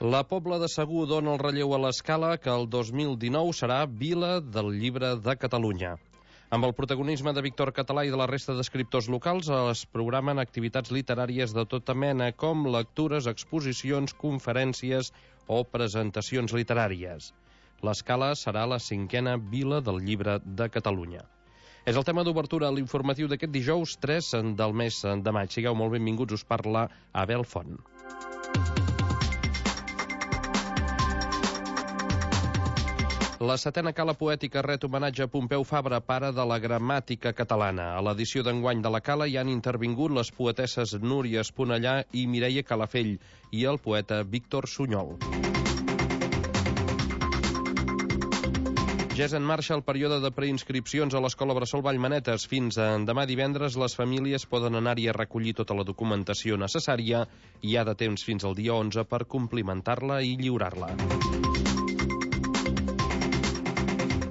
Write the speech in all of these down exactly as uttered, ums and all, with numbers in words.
La Pobla de Segur dona el relleu a l'Escala, que el dos mil dinou serà Vila del Llibre de Catalunya. Amb el protagonisme de Víctor Català i de la resta d'escriptors locals es programen activitats literàries de tota mena, com lectures, exposicions, conferències o presentacions literàries. L'Escala serà la cinquena Vila del Llibre de Catalunya. És el tema d'obertura a l'informatiu d'aquest dijous tres del mes de maig. Sigueu molt benvinguts, us parla Abel Font. La setena Cala Poètica ret homenatge a Pompeu Fabra, pare de la gramàtica catalana. A l'edició d'enguany de la Cala hi han intervingut les poetesses Núria Esponellà i Mireia Calafell i el poeta Víctor Sunyol. Ja és en marxa el període de preinscripcions a l'Escola Bressol Vallmanetes. Fins a demà divendres les famílies poden anar-hi a recollir tota la documentació necessària i hi ha de temps fins al dia onze per complimentar-la i lliurar-la.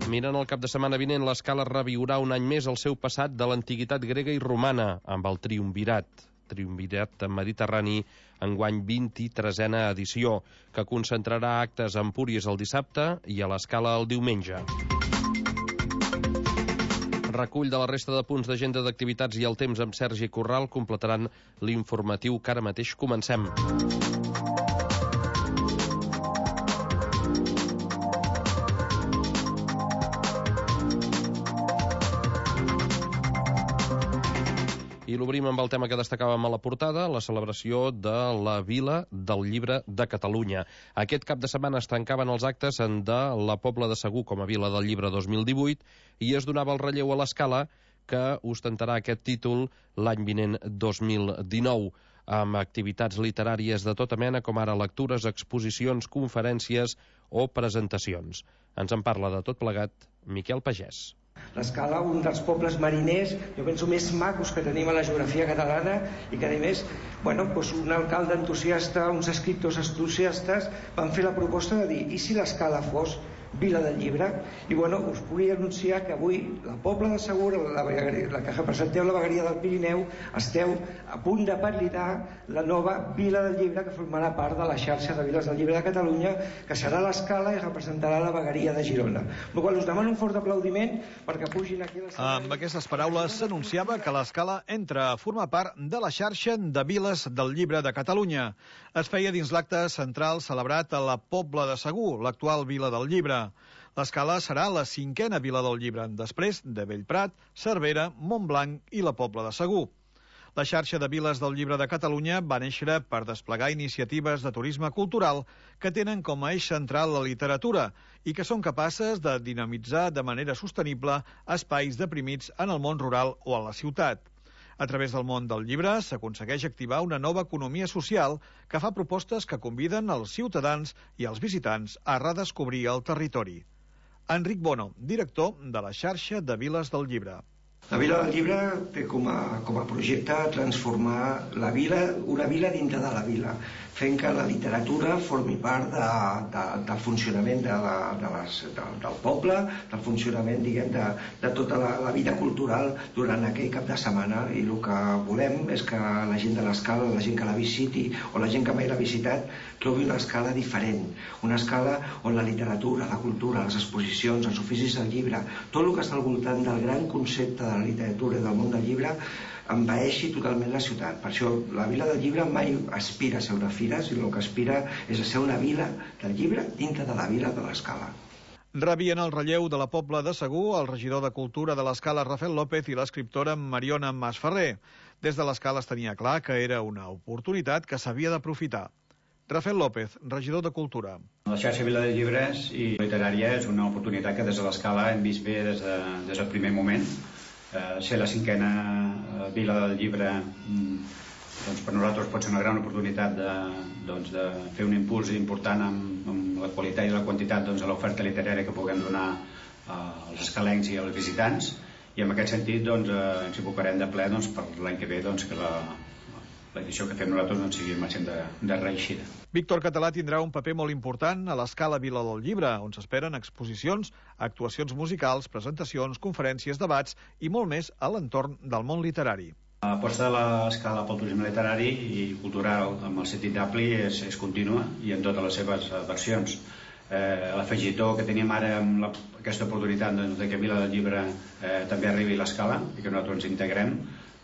Mirant el cap de setmana vinent, l'Escala reviurà un any més el seu passat de l'antiguitat grega i romana, amb el Triumvirat, Triumvirat mediterrani, enguany vint-i-tresena edició, que concentrarà actes a Empúries el dissabte i a l'Escala el diumenge. Recull de la resta de punts d'agenda d'activitats i el temps amb Sergi Corral completaran l'informatiu que ara mateix comencem. I l'obrim amb el tema que destacàvem a la portada, la celebració de la Vila del Llibre de Catalunya. Aquest cap de setmana es tancaven els actes de la Pobla de Segur com a Vila del Llibre dos mil divuit i es donava el relleu a l'Escala, que ostentarà aquest títol l'any vinent dos mil dinou, amb activitats literàries de tota mena, com ara lectures, exposicions, conferències o presentacions. Ens en parla de tot plegat Miquel Pagès. L'Escala, un dels pobles mariners, jo penso, més macos que tenim a la geografia catalana i que, a més, bueno, doncs un alcalde entusiasta, uns escriptors entusiastes van fer la proposta de dir, i si l'Escala fos Vila del Llibre? I bueno, us vull anunciar que avui la Pobla de Segur, la, la que representeu la vegueria del Pirineu, esteu a punt de validar la nova Vila del Llibre, que formarà part de la xarxa de Viles del Llibre de Catalunya, que serà l'Escala i representarà la vegueria de Girona. Per qual us demano un fort aplaudiment perquè pugin aquí a l'escenari. Amb aquestes paraules s'anunciava que l'Escala entra a formar part de la xarxa de Viles del Llibre de Catalunya. Es feia dins l'acte central celebrat a la Pobla de Segur, l'actual Vila del Llibre. L'Escala serà la cinquena Vila del Llibre, després de Bellprat, Cervera, Montblanc i la Pobla de Segur. La xarxa de Viles del Llibre de Catalunya va néixer per desplegar iniciatives de turisme cultural que tenen com a eix central la literatura i que són capaces de dinamitzar de manera sostenible espais deprimits en el món rural o a la ciutat. A través del món del llibre s'aconsegueix activar una nova economia social que fa propostes que conviden els ciutadans i els visitants a redescobrir el territori. Enric Bono, director de la xarxa de Viles del Llibre. La Vila del Llibre té com a, com a projecte transformar la vila, una vila dintre de la vila, fent que la literatura formi part de, de, del funcionament de la, de les, de, del poble, del funcionament, diguem, de, de tota la, la vida cultural durant aquell cap de setmana. I el que volem és que la gent de l'Escala, la gent que la visiti o la gent que mai l'ha visitat, trobi una escala diferent, una escala on la literatura, la cultura, les exposicions, els oficis del llibre, tot el que està al voltant del gran concepte de la literatura i del món del llibre envaeixi totalment la ciutat. Per això la Vila del Llibre mai aspira a ser una fira, sinó que aspira és a ser una vila del llibre dintre de la vila de l'Escala. Rebien el relleu de la Pobla de Segur el regidor de Cultura de l'Escala, Rafael López, i l'escriptora Mariona Masferrer. Des de l'Escala es tenia clar que era una oportunitat que s'havia d'aprofitar. Rafael López, regidor de Cultura. La xarxa Vila de Llibres i literària és una oportunitat que des de l'Escala hem vist bé des, de, des del primer moment. Eh, ser la cinquena eh, Vila del Llibre, mm, doncs per nosaltres pot ser una gran oportunitat de, doncs de fer un impuls important amb, amb la qualitat i la quantitat, doncs, a l'oferta literària que puguem donar eh, als escalencs i als visitants, i en aquest sentit doncs, eh, ens abocarem de ple, doncs, per l'any que ve, doncs, que la, l'edició que fem nosaltres doncs, sigui al màxim de, de reeixida. Víctor Català tindrà un paper molt important a l'Escala Vila del Llibre, on s'esperen exposicions, actuacions musicals, presentacions, conferències, debats i molt més a l'entorn del món literari. L'aposta de l'Escala pel turisme literari i cultural amb el sentit ampli és, és contínua i en totes les seves versions. Eh, L'afegitó que tenim ara amb la, aquesta oportunitat doncs, de que Vila del Llibre eh, també arribi a l'Escala i que nosaltres ens integrem,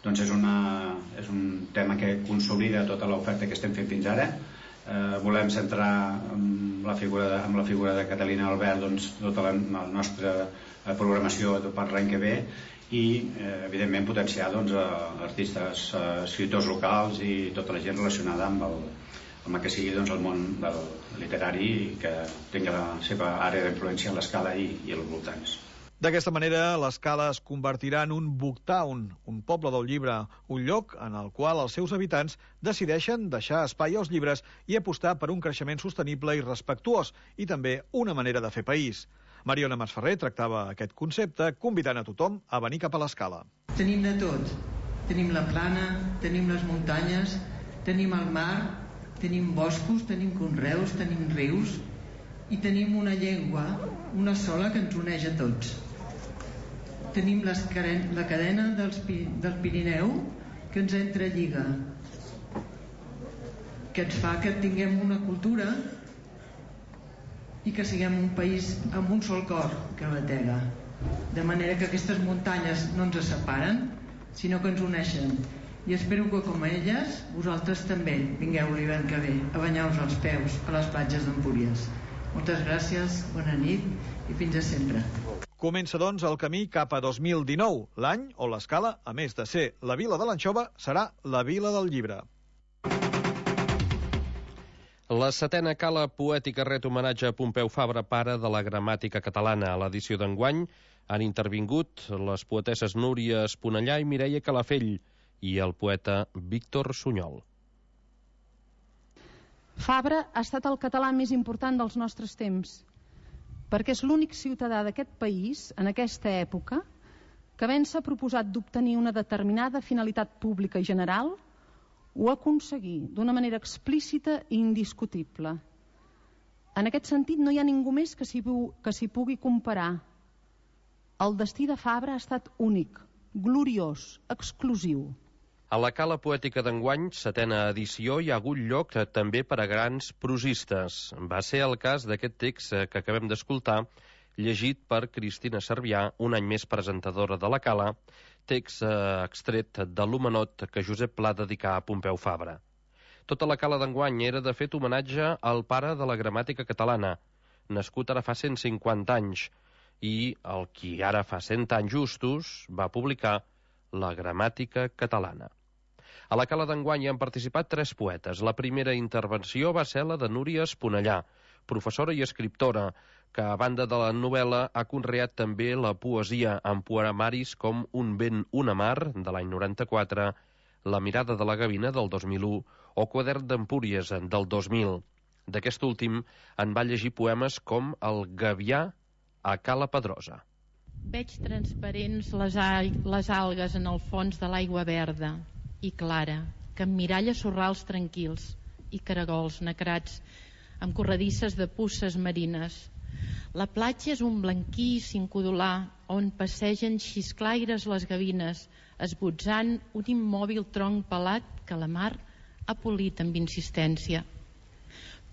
doncs és, una, és un tema que consolida tota l'oferta que estem fent fins ara. Eh, volem centrar amb la figura de, amb la figura de Catalina Albert doncs, tota la, la nostra programació per l'any que ve i eh, evidentment potenciar doncs, artistes, eh, escriptors locals i tota la gent relacionada amb el, amb el que sigui doncs, el món del literari i que tingui la seva àrea d'influència a l'Escala i, i als voltants. D'aquesta manera, l'Escala es convertirà en un booktown, un poble del llibre, un lloc en el qual els seus habitants decideixen deixar espai als llibres i apostar per un creixement sostenible i respectuós, i també una manera de fer país. Mariona Masferrer tractava aquest concepte convidant a tothom a venir cap a l'Escala. Tenim de tot. Tenim la plana, tenim les muntanyes, tenim el mar, tenim boscos, tenim conreus, tenim rius i tenim una llengua, una sola, que ens uneix a tots. Tenim les, la cadena dels, del Pirineu que ens entrelliga, que ens fa que tinguem una cultura i que siguem un país amb un sol cor que batega. De manera que aquestes muntanyes no ens separen, sinó que ens uneixen. I espero que, com a elles, vosaltres també vingueu l'hivern que ve a banyar-vos els peus a les platges d'Empúries. Moltes gràcies, bona nit i fins a sempre. Comença, doncs, el camí cap a dos mil dinou, l'any on l'Escala, a més de ser la vila de l'anxova, serà la vila del llibre. La setena Cala Poètica ret homenatge a Pompeu Fabra, pare de la gramàtica catalana. A l'edició d'enguany han intervingut les poetesses Núria Esponellà i Mireia Calafell i el poeta Víctor Sunyol. Fabra ha estat el català més important dels nostres temps, perquè és l'únic ciutadà d'aquest país, en aquesta època, que havent s'ha proposat d'obtenir una determinada finalitat pública i general, ho aconseguir d'una manera explícita i indiscutible. En aquest sentit, no hi ha ningú més que s'hi que s'hi pugui comparar. El destí de Fabra ha estat únic, gloriós, exclusiu. A la Cala Poètica d'enguany, setena edició, hi ha hagut lloc també per a grans prosistes. Va ser el cas d'aquest text que acabem d'escoltar, llegit per Cristina Cervià, un any més presentadora de la Cala, text eh, extret de l'homenot que Josep Pla dedicà a Pompeu Fabra. Tota la Cala d'enguany era, de fet, homenatge al pare de la gramàtica catalana, nascut ara fa cent cinquanta anys, i el qui ara fa cent anys justos va publicar la gramàtica catalana. A la Cala d'enguany hi han participat tres poetes. La primera intervenció va ser la de Núria Esponellà, professora i escriptora, que a banda de la novel·la ha conreat també la poesia amb poemaris com Un vent, una mar, de l'any noranta-quatre, La mirada de la gavina, del dos mil u, o Quadern d'Empúries, del dos mil. D'aquest últim en va llegir poemes com El gavià a Cala Pedrosa. Veig transparents les, al les algues en el fons de l'aigua verda i clara, que emmiralla sorrals tranquils i caragols nacrats amb corredisses de puces marines. La platja és un blanquíssim codolar on passegen xisclaires les gavines, esbotzant un immòbil tronc pelat que la mar ha polit amb insistència.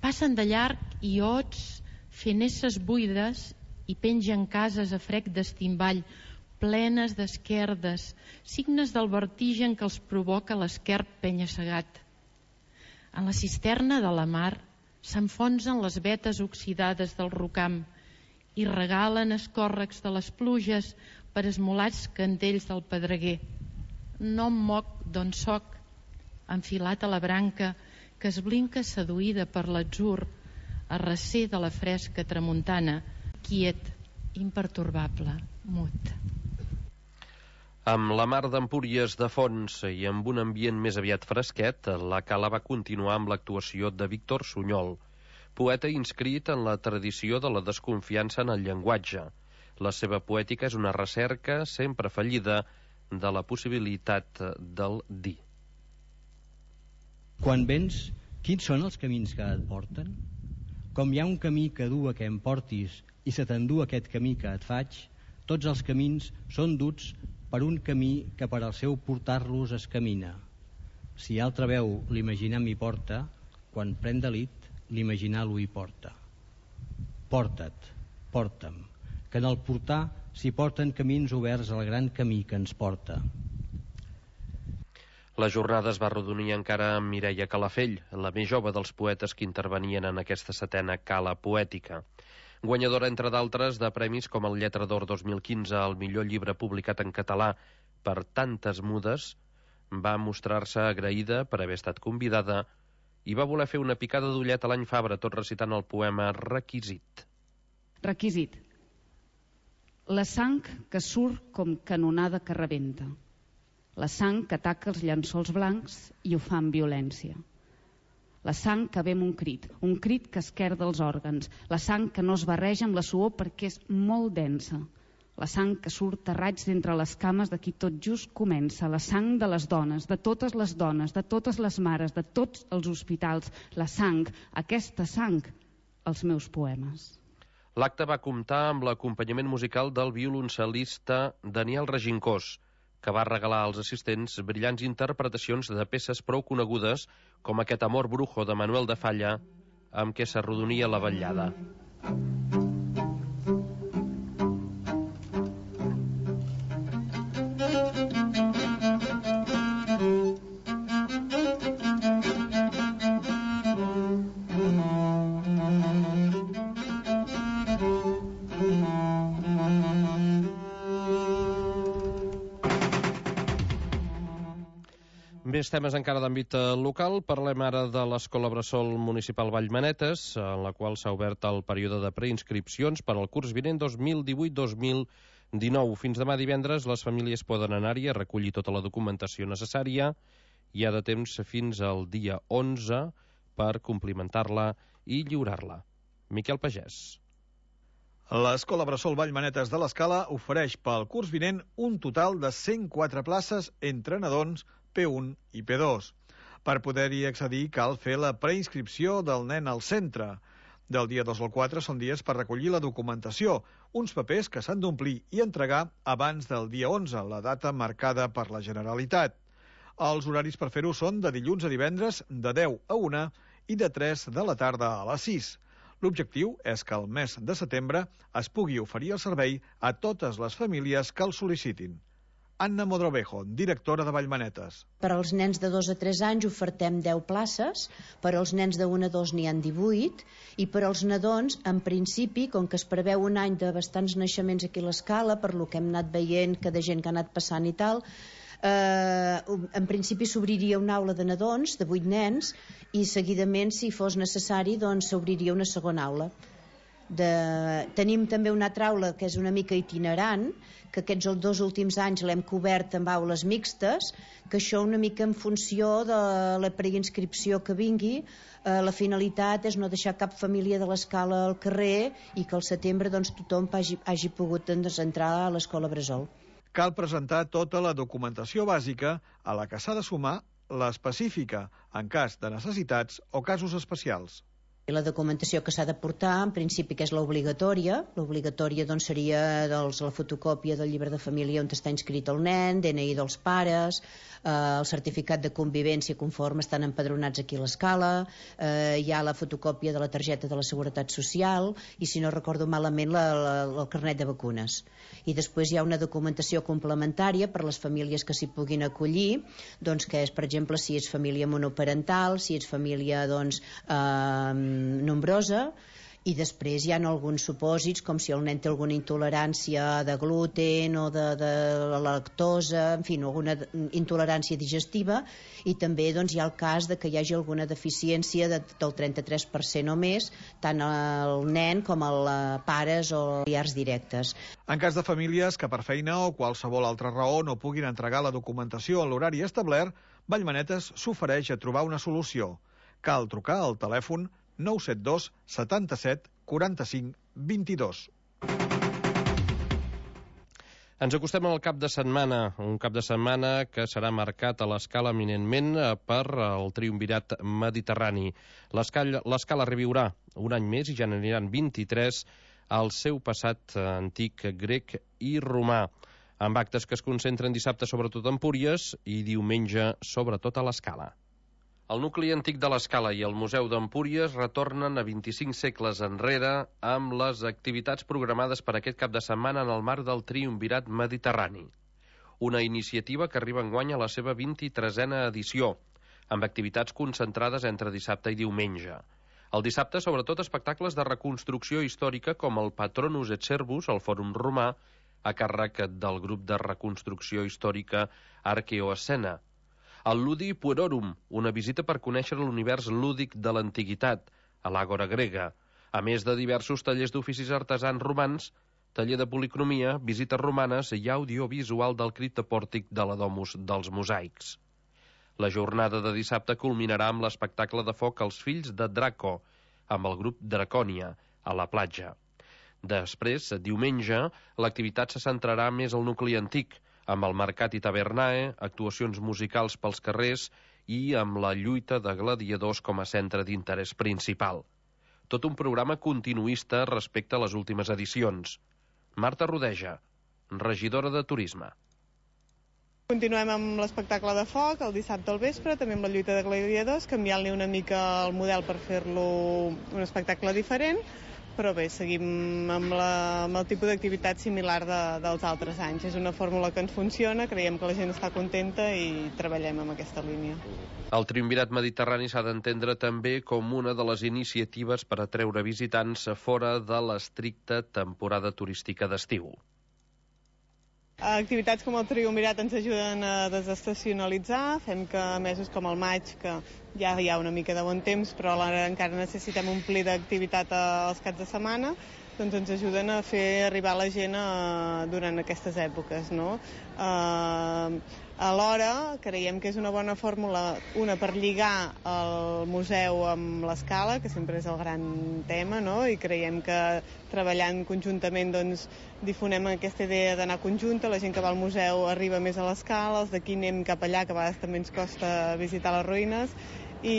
Passen de llarg iots fent esses buides i pengen cases a frec d'estimball, plenes d'esquerdes, signes del vertigen que els provoca l'esquerp penya-segat. En la cisterna de la mar s'enfonsen les vetes oxidades del rocam i regalen escòrrecs de les pluges per esmolats candells del pedreguer. No em moc d'on soc, enfilat a la branca que es blinca seduïda per l'atzur, a recer de la fresca tramuntana, quiet, impertorbable, mut. Amb la mar d'Empúries de fons i amb un ambient més aviat fresquet, la Cala va continuar amb l'actuació de Víctor Sunyol, poeta inscrit en la tradició de la desconfiança en el llenguatge. La seva poètica és una recerca sempre fallida de la possibilitat del dir. Quan vens, quins són els camins que et porten? Com hi ha un camí que du a que em portis i se t'endú aquest camí que et faig, tots els camins són duts per un camí que per al seu portar-los es camina. Si altra veu l'imaginar m'hi porta, quan pren delit, l'imaginar-lo hi porta. Porta't, porta'm, que en el portar s'hi porten camins oberts al gran camí que ens porta. La jornada es va arrodonir encara amb Mireia Calafell, la més jove dels poetes que intervenien en aquesta setena Cala Poètica. Guanyadora, entre d'altres, de premis com el Lletra d'Or dos mil quinze al millor llibre publicat en català per Tantes mudes, va mostrar-se agraïda per haver estat convidada i va voler fer una picada d'ullet a l'any Fabra, tot recitant el poema Requisit. Requisit. La sang que surt com canonada que rebenta. La sang que ataca els llençols blancs i ho fa amb violència. La sang que ve amb un crit, un crit que esquerda els òrgans. La sang que no es barreja amb la suor perquè és molt densa. La sang que surt a raigs d'entre les cames de qui tot just comença. La sang de les dones, de totes les dones, de totes les mares, de tots els hospitals. La sang, aquesta sang, els meus poemes. L'acte va comptar amb l'acompanyament musical del violoncel·lista Daniel Regincós, que va regalar als assistents brillants interpretacions de peces prou conegudes com aquest Amor Brujo de Manuel de Falla, amb què s'arrodonia la vetllada. Més temes encara d'àmbit local. Parlem ara de l'Escola Bressol Municipal Vallmanetes, en la qual s'ha obert el període de preinscripcions per al curs vinent dos mil divuit dos mil dinou. Fins demà divendres les famílies poden anar-hi a recollir tota la documentació necessària. Hi ha de temps fins al dia onze per complimentar-la i lliurar-la. Miquel Pagès. L'Escola Bressol Vallmanetes de l'Escala ofereix pel curs vinent un total de cent quatre places entre nadons P un i P dos. Per poder-hi accedir cal fer la preinscripció del nen al centre. Del dia dos al quatre són dies per recollir la documentació, uns papers que s'han d'omplir i entregar abans del dia onze, la data marcada per la Generalitat. Els horaris per fer-ho són de dilluns a divendres de deu a una i de tres de la tarda a les sis. L'objectiu és que al mes de setembre es pugui oferir el servei a totes les famílies que el sol·licitin. Anna Modrovejo, directora de Vallmanetes. Per als nens de dos a tres anys ofertem deu places, per als nens de un a dos n'hi ha divuit, i per als nadons, en principi, com que es preveu un any de bastants naixements aquí a l'Escala, per lo que hem anat veient que de gent que ha anat passant i tal, eh, en principi s'obriria una aula de nadons, de vuit nens, i seguidament, si fos necessari, doncs s'obriria una segona aula. De... Tenim també una altra aula que és una mica itinerant, que aquests els dos últims anys l'hem cobert amb aules mixtes, que això una mica en funció de la preinscripció que vingui. Eh, la finalitat és no deixar cap família de l'Escala al carrer i que al setembre doncs, tothom hagi, hagi pogut doncs, entrar a l'Escola Bressol. Cal presentar tota la documentació bàsica a la que s'ha de sumar l'específica en cas de necessitats o casos especials. La documentació que s'ha de portar, en principi, que és l'obligatòria. L'obligatòria doncs, seria doncs, la fotocòpia del llibre de família on està inscrit el nen, D N I dels pares, eh, el certificat de convivència conforme estan empadronats aquí a l'Escala, eh, hi ha la fotocòpia de la targeta de la Seguretat Social i, si no recordo malament, la, la, el carnet de vacunes. I després hi ha una documentació complementària per les famílies que s'hi puguin acollir, doncs, que és, per exemple, si és família monoparental, si és família doncs, eh, nombrosa, i després hi ha alguns supòsits com si el nen té alguna intolerància de gluten o de, de la lactosa, en fi, alguna intolerància digestiva, i també doncs, hi ha el cas de que hi hagi alguna deficiència de, del trenta-tres per cent o més, tant al nen com als pares o familiars directes. En cas de famílies que per feina o qualsevol altra raó no puguin entregar la documentació a l'horari establert, Vallmanetes s'ofereix a trobar una solució. Cal trucar al telèfon nou set dos setanta-set quaranta-cinc vint-i-dos. Ens acostem al cap de setmana, un cap de setmana que serà marcat a l'Escala eminentment per el triumvirat mediterrani. L'Escala reviurà un any més i ja n'aniran vint-i-tres al seu passat antic grec i romà. amb actes que es concentren dissabte sobretot a Empúries i diumenge sobretot a l'Escala. El nucli antic de l'Escala i el Museu d'Empúries retornen a vint-i-cinc segles enrere amb les activitats programades per aquest cap de setmana en el marc del Triumvirat Mediterrani. Una iniciativa que arriba enguany a la seva vint-i-tresena edició, amb activitats concentrades entre dissabte i diumenge. El dissabte, sobretot, espectacles de reconstrucció històrica com el Patronus et Servus, al Fòrum Romà, a càrrec del grup de reconstrucció històrica Arqueoescena. El Ludi Puerorum, una visita per conèixer l'univers lúdic de l'antiguitat, a l'Àgora grega, a més de diversos tallers d'oficis artesans romans, taller de policromia, visites romanes i audiovisual del criptopòrtic de la Domus dels Mosaics. La jornada de dissabte culminarà amb l'espectacle de foc Els fills de Draco, amb el grup Dracònia, a la platja. Després, diumenge, l'activitat se centrarà més al nucli antic, amb el Mercat i Tavernae, actuacions musicals pels carrers i amb la lluita de gladiadors com a centre d'interès principal. Tot un programa continuista respecte a les últimes edicions. Marta Rodeja, regidora de Turisme. Continuem amb l'espectacle de foc el dissabte al vespre, també amb la lluita de gladiadors, canviant-li una mica el model per fer-lo un espectacle diferent, però bé, seguim amb, la, amb el tipus d'activitat similar de, dels altres anys. És una fórmula que ens funciona, creiem que la gent està contenta i treballem amb aquesta línia. El Triumvirat Mediterrani s'ha d'entendre també com una de les iniciatives per atreure visitants fora de l'estricta temporada turística d'estiu. Activitats com el Triumvirat ens ajuden a desestacionalitzar, fem que mesos com el maig, que ja hi ha una mica de bon temps, però alhora encara necessitem omplir d'activitat als caps de setmana, doncs ens ajuden a fer arribar la gent a, durant aquestes èpoques, no? Uh, alhora creiem que és una bona fórmula, una per lligar el museu amb l'Escala, que sempre és el gran tema, no? I creiem que treballant conjuntament doncs, difonem aquesta idea d'anar conjunta, la gent que va al museu arriba més a l'Escala, els d'aquí anem cap allà, que a vegades també ens costa visitar les ruïnes, i,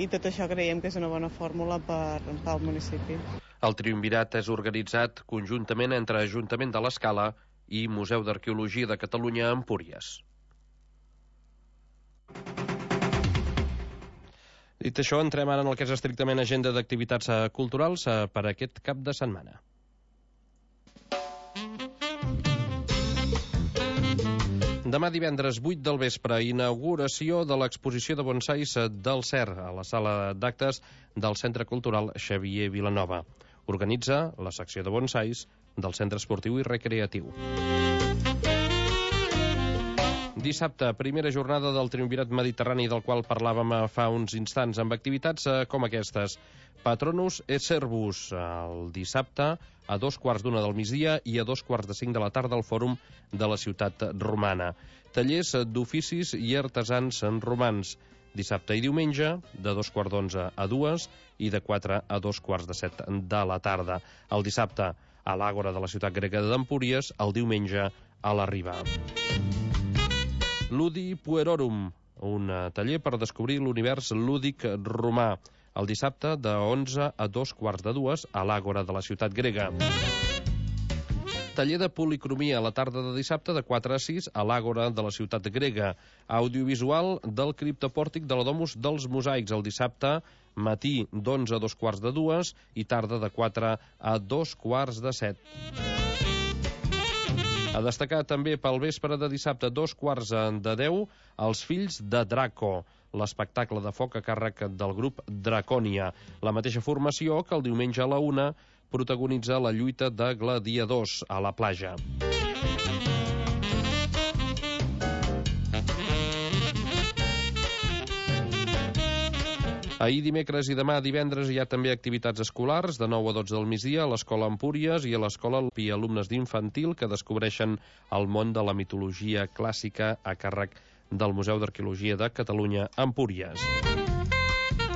i tot això creiem que és una bona fórmula per, pel municipi. El Triumvirat és organitzat conjuntament entre Ajuntament de l'Escala i Museu d'Arqueologia de Catalunya a Empúries. Dit això, entrem ara en el que és estrictament agenda d'activitats culturals per aquest cap de setmana. Demà divendres vuit del vespre, inauguració de l'exposició de bonsais del C E R a la sala d'actes del Centre Cultural Xavier Vilanova. Organitza la secció de bonsais del Centre Esportiu i Recreatiu. Dissabte, primera jornada del Triumvirat Mediterrani, del qual parlàvem fa uns instants, amb activitats com aquestes. Patronus et Servus, el dissabte a dos quarts d'una del migdia i a dos quarts de cinc de la tarda al Fòrum de la Ciutat Romana. Tallers d'oficis i artesans romans, dissabte i diumenge, de dos quarts d'onze a dues i de quatre a dos quarts de set de la tarda. El dissabte a l'Àgora de la Ciutat Grega d'Empúries, el diumenge a la Riba. Ludi Puerorum, un taller per descobrir l'univers lúdic romà, el dissabte de onze a dos quarts de dues a l'Àgora de la Ciutat Grega. Taller de policromia a la tarda de dissabte de quatre a sis a l'Àgora de la Ciutat Grega. Audiovisual del criptopòrtic de la Domus dels Mosaics el dissabte, matí d'onze a dos quarts de dues i tarda de quatre a dos quarts de set. A destacar també pel vespre de dissabte, dos quarts de deu, Els fills de Draco, l'espectacle de foc a càrrec del grup Dracònia. La mateixa formació que el diumenge a la una protagonitza la lluita de gladiadors a la platja. Ahir dimecres i demà divendres hi ha també activitats escolars de nou a dotze del migdia a l'Escola Empúries i a l'Escola i alumnes d'infantil que descobreixen el món de la mitologia clàssica a càrrec del Museu d'Arqueologia de Catalunya Empúries.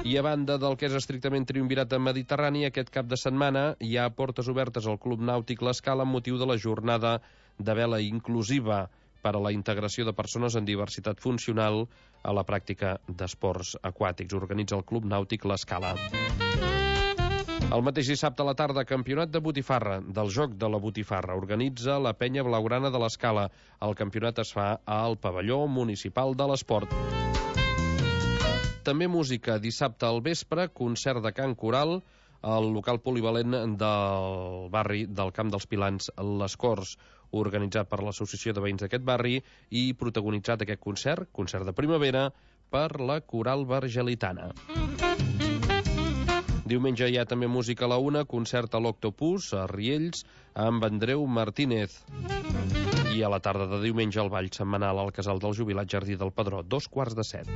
I a banda del que és estrictament Triumvirat Mediterrani, aquest cap de setmana hi ha portes obertes al Club Nàutic l'Escala amb motiu de la jornada de vela inclusiva per a la integració de persones amb diversitat funcional a la pràctica d'esports aquàtics. Organitza el Club Nàutic l'Escala. El mateix dissabte a la tarda, campionat de botifarra, del joc de la botifarra. Organitza la penya blaugrana de l'Escala. El campionat es fa al pavelló municipal de l'esport. També música. Dissabte al vespre, concert de cant coral al local polivalent del barri del Camp dels Pilans, Les Corts, organitzat per l'Associació de Veïns d'aquest barri i protagonitzat aquest concert, concert de primavera, per la Coral Vergelitana. Diumenge hi ha també música a la una, concert a l'Octopus, a Riells, amb Andreu Martínez. I a la tarda de diumenge el ball setmanal al Casal del Jubilat Jardí del Pedró, dos quarts de set.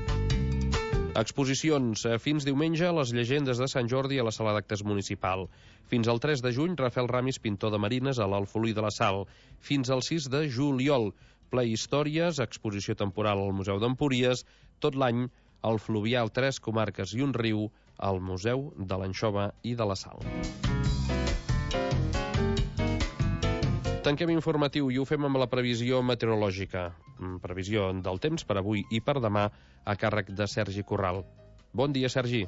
Exposicions. Fins diumenge, les llegendes de Sant Jordi a la sala d'actes municipal. Fins al tres de juny, Rafael Ramis, pintor de marines, a l'Alfolí de la Sal. Fins al sis de juliol, ple històries, exposició temporal al Museu d'Empúries. Tot l'any, el Fluvial, tres comarques i un riu, al Museu de l'Anxova i de la Sal. Tanquem informatiu i ho fem amb la previsió meteorològica. Previsió del temps per avui i per demà a càrrec de Sergi Corral. Bon dia, Sergi.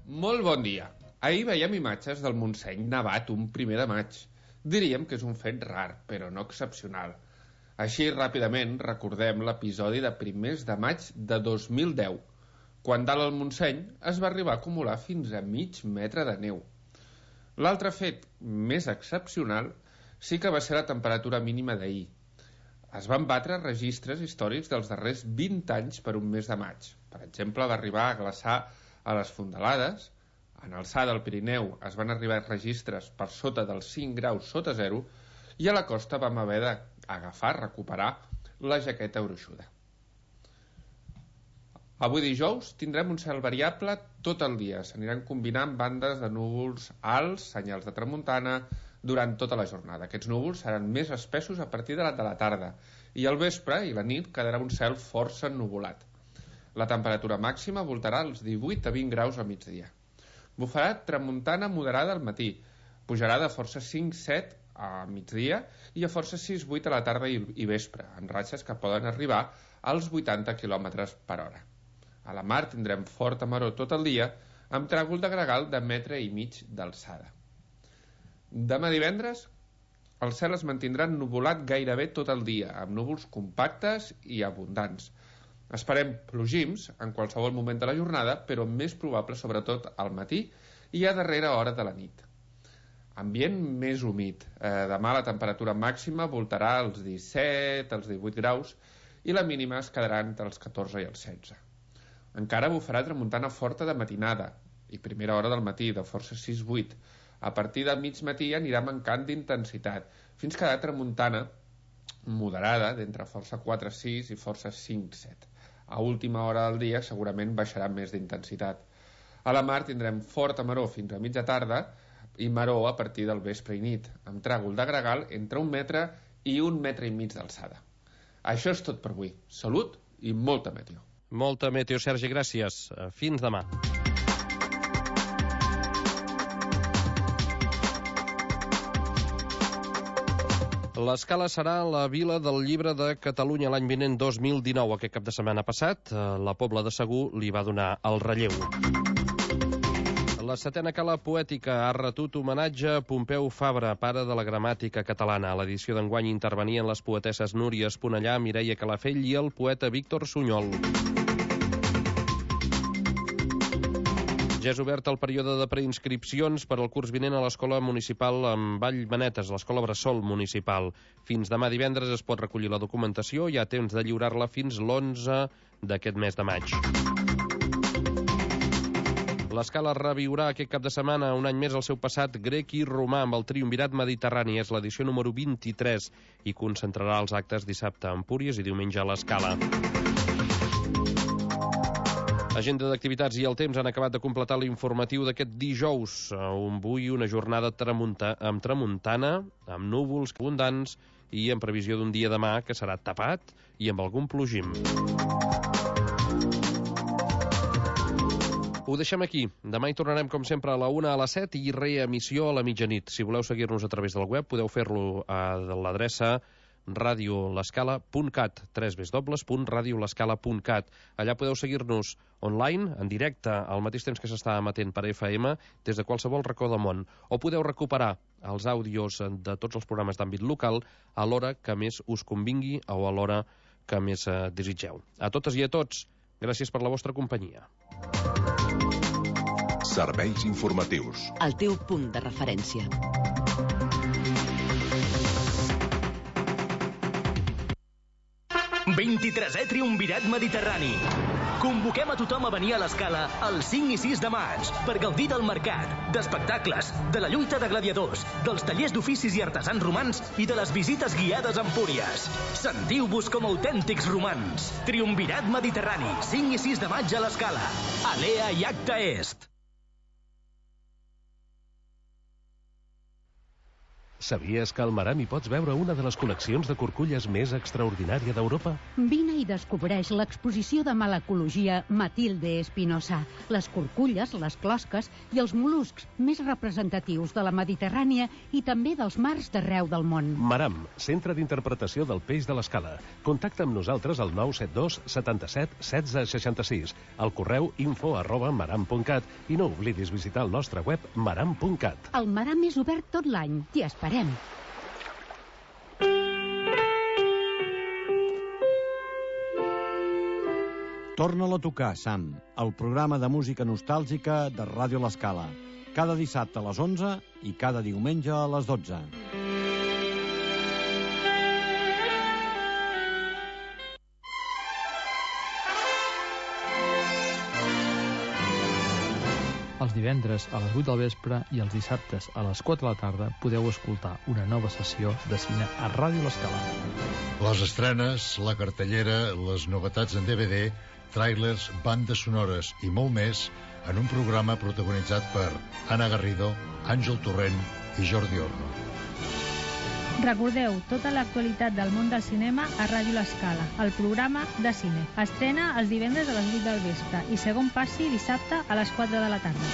Molt bon dia. Ahir veiem imatges del Montseny nevat un primer de maig. Diríem que és un fet rar, però no excepcional. Així, ràpidament, recordem l'episodi de primers de maig de dos mil deu, quan dalt al Montseny es va arribar a acumular fins a mig metre de neu. L'altre fet més excepcional sí que va ser la temperatura mínima d'ahir. Es van batre registres històrics dels darrers vint anys per un mes de maig. Per exemple, va arribar a glaçar a les Fondalades, en alçada al Pirineu es van arribar registres per sota dels cinc graus sota zero i a la costa vam haver d'agafar, recuperar la jaqueta gruixuda. Avui dijous tindrem un cel variable tot el dia. S'aniran combinant bandes de núvols alts, senyals de tramuntana, durant tota la jornada. Aquests núvols seran més espessos a partir de la, de la tarda i al vespre i la nit quedarà un cel força ennuvolat. La temperatura màxima voltarà als divuit a vint graus al migdia. Bufarà tramuntana moderada al matí, pujarà de força cinc set a migdia i a força sis vuit a la tarda i, i vespre, amb ratxes que poden arribar als vuitanta quilòmetres per hora. A la mar tindrem forta maror tot el dia, amb tràgol de gregal de metre i mig d'alçada. Demà divendres, el cel es mantindrà ennuvolat gairebé tot el dia, amb núvols compactes i abundants. Esperem plogims en qualsevol moment de la jornada, però més probable sobretot al matí i a darrera hora de la nit. Ambient més humit. Eh, demà la temperatura màxima voltarà als disset, als divuit graus i la mínima es quedarà entre els catorze i els setze. Encara bufarà tramuntana forta de matinada i primera hora del matí, de força sis vuit. A partir del mig matí anirà mancant d'intensitat, fins que quedar tramuntana moderada d'entre força quatre sis i força cinc set. A última hora del dia segurament baixarà més d'intensitat. A la mar tindrem forta maror fins a mitja tarda i maror a partir del vespre i nit, amb tràgol de gregal entre un metre i un metre i mig d'alçada. Això és tot per avui. Salut i molta meteo. Molta meteo, Sergi, gràcies. Fins demà. L'Escala serà la Vila del Llibre de Catalunya l'any vinent dos mil dinou. Aquest cap de setmana passat, la Pobla de Segur li va donar el relleu. La setena Cala Poètica ha retut homenatge a Pompeu Fabra, pare de la gramàtica catalana. A l'edició d'enguany intervenien les poetesses Núria Esponellà, Mireia Calafell i el poeta Víctor Sunyol. Ja és obert el període de preinscripcions per al curs vinent a l'Escola Municipal amb Vallmanetes, l'Escola Bressol Municipal. Fins demà divendres es pot recollir la documentació, hi ha temps de lliurar-la fins l'onze d'aquest mes de maig. L'Escala reviurà aquest cap de setmana un any més el seu passat grec i romà amb el Triumvirat Mediterrani. És l'edició número vint-i-tres i concentrarà els actes dissabte a Empúries i diumenge a l'Escala. Agenda d'activitats i el temps han acabat de completar l'informatiu d'aquest dijous. Avui una jornada tramunta, amb tramuntana, amb núvols abundants i en previsió d'un dia demà que serà tapat i amb algun plogim. Ho deixem aquí. Demà hi tornarem, com sempre, a la una a les set i reemissió a la mitjanit. Si voleu seguir-nos a través del web, podeu fer-lo a l'adreça radio l'escala punt cat, w w w punt radio l'escala punt cat. Allà podeu seguir-nos online, en directe, al mateix temps que s'està emetent per F M, des de qualsevol racó del món. O podeu recuperar els àudios de tots els programes d'àmbit local a l'hora que més us convingui o a l'hora que més eh, desitgeu. A totes i a tots, gràcies per la vostra companyia. Serveis informatius. El teu punt de referència. vint-i-tresè Triumvirat Mediterrani. Convoquem a tothom a venir a l'Escala el cinc i sis de maig per gaudir del mercat, d'espectacles, de la lluita de gladiadors, dels tallers d'oficis i artesans romans i de les visites guiades a Empúries. Sentiu-vos com autèntics romans. Triumvirat Mediterrani, cinc i sis de maig a l'Escala. Alea i Acta Est. Sabies que al Maram hi pots veure una de les col·leccions de curculles més extraordinària d'Europa? Vine i descobreix l'exposició de malacologia Matilde Espinosa, les curculles, les closques i els mol·luscs més representatius de la Mediterrània i també dels mars d'arreu del món. Maram, centre d'interpretació del peix de l'Escala. Contacta amb nosaltres al nou set dos setanta-set setze seixanta-sis, al correu info arroba maram punt cat i no oblidis visitar el nostre web maram punt cat. El Maram és obert tot l'any. T'hi esperem. Torna-la a tocar, Sam, el programa de música nostàlgica de Ràdio L'Escala. Cada dissabte a les onze i cada diumenge a les dotze. Els divendres a les vuit del vespre i els dissabtes a les quatre de la tarda podeu escoltar una nova sessió de cine a Ràdio L'Escala. Les estrenes, la cartellera, les novetats en D V D, tràilers, bandes sonores i molt més en un programa protagonitzat per Anna Garrido, Àngel Torrent i Jordi Orno. Recordeu tota l'actualitat del món del cinema a Ràdio L'Escala, el programa de cine. Estrena els divendres a les vuit del vespre i segon passi dissabte a les quatre de la tarda.